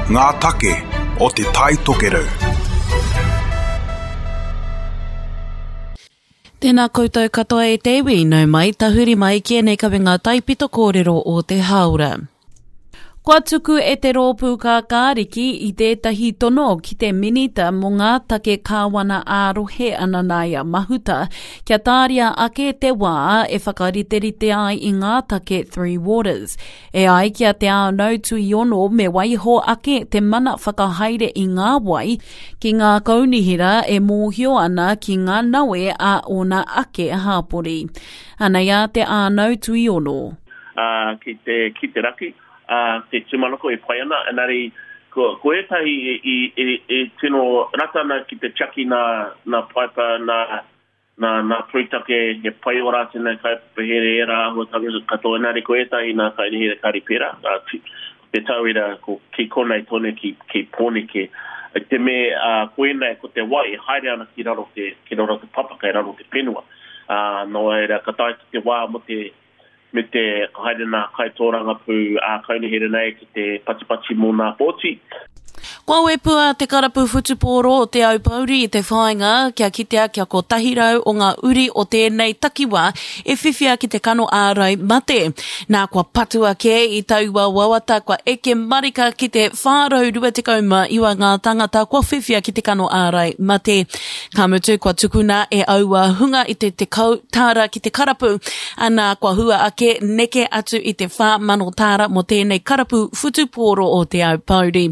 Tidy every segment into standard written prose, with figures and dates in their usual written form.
Ngā take o Te Tai Tokerau. Tēnā koutou katoa e te iwi, nau mai, tahuri mai ki ēnei kawenga taipito kōrero o te hāora. Kua tuku e te Rōpū Kākāriki i tētahi tono ki te Minita mō ngā Take Kāwana ā-Rohe a Nanaia Mahuta kia tāria ake te wā e whakariterite ai i ngā take Three Waters. E ai ki a Te Ānau Tuiono me waiho ake te mana whakahaere i ngā wai ki ngā kaunihera e mōhio ana ki ngā nawe a ōna ake hāpori. Anei a Te Ānau Tuiono. ā, ki te, ki te raki, ā, te tūmanako e pai ana, engari ko, ko ētahi i, i, i, i tino rata ana ki te tiaki nā, nā paipa, nā, nā, nā pūtake, he pai ō rātou nei kaupapa-here, ērā āhuatanga katoa, engari ko ētahi nā kaunihera kāre pērā, ā, te tauira ko ki konei tonu ki, ki Pōneke. I te me, ā, koinei ko te wai e haere ana ki raro te, ki raro te papa, kei raro te whenua. Ā, nō reira, ka tae ki te wā mō te, me te ka haere nā kaitōrangapū ā-kaunihera nei ki te patipati mō nā pōti. Kua wepua te karapu whutupōro o Te Aupōuri i te whāinga kia kitea kia 100 o ngā uri o tēnei takiwā e whiwhia ki te kano ārai mate. Nā kua patua kē i taua wawata kua eke marika ki te 429 ngā tāngata kua whiwhia ki te kano ārai mate. Ka mutu kua tukuna e aua hunga i te 10 tāra ki te karapu Anā, kua hua ake, neke atu i te 4,000 tāra mō tēnei karapu whutupōro o Te Aupōuri.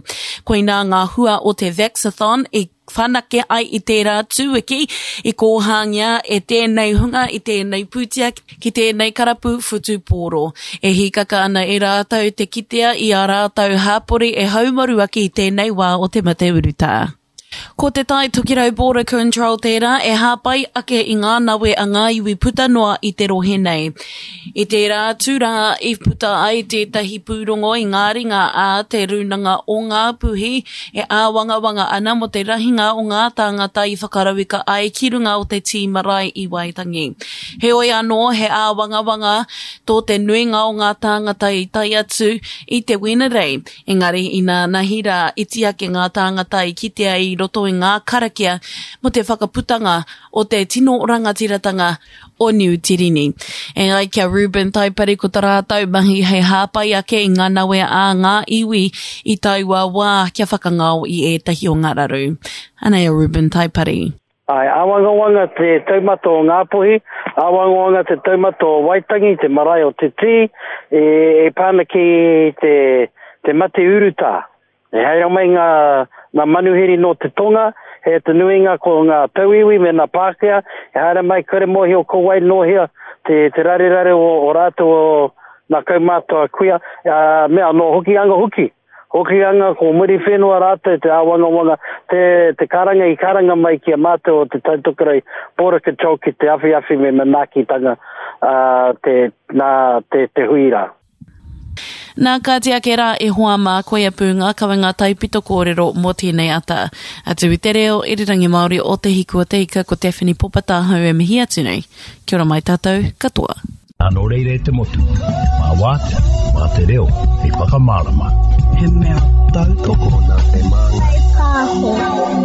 Koinā ngā hua o te Vaxathon i whanake ai i tērā tūwiki, i kōhāngia e tēnei hunga i tēnei pūtea ki tēnei karapu whutupōro. E hīkaka ana e rātou te kitea i ā rātou hapori e haumaru ake i tēnei wā o te mate urutā. Ko Te Tai Tokerau Border Control tērā e hāpai ake i ngā nawe a ngā iwi puta noa i te rohe nei. I tērā atu rā i puta ai tētahi pūrongo i ngā ringa a Te Rūnanga o Ngāpuhi e āwangawanga ana mō te rahinga o ngā tāngata i whakarauika ai ki runga o te tī marae i Waitangi. Heoi anō, he āwangawanga tō te nuinga o ngā tāngata i tae atu i te Wenerei. Engari inānahi rā, iti ake ngā tāngata i kitea i roto i ngā karakia mō te whakaputanga o te tino rangatiratanga o Niu Tirini. E ai ki a Reuben Taipari ko ta rātou mahi hei hāpai ake i ngā nawe a ngā iwi i taua wā kia whakangao i ētahi o ngā raru. Anei a Reuben Taipari. Āe, āwangawanga te taumata o Ngāpuhi, āwangawanga te taumata o Waitangi, te marae o Te Tī, e, e pā ana ki te, te mate urutā. E haere mai ngā, ngā manuhiri nō te tonga, he te nuinga ko ngā tauiwi me ngā Pākehā, e haere mai kore mōhio ko wai nō hea te, te rarerare o, o rātou o ngā kaumātua kuia, ā, me anō Hokianga hoki. Hokianga, ko Muriwhenua rātou te āwangawanga, te, te karanga i karanga mai ki a mātou o Te Taitokerau Border Control ki te awhiawhi me manaakitanga ā, te, nā, te, te hui rā. Nā, kāti ake rā e hoa mā, koia pū ngā kawenga taipito kōrero mō tēnei ata. Atu i te reo irirangi Māori o Te Hiku o Te Ika, ko Daphne Popatahau e mihi atu nei. Kia ora mai tātou katoa. Nā nō reira e te motu, mā wātea, mā te reo hei whakamārama. He mea tautoko. Tokona te māngai. Pāho.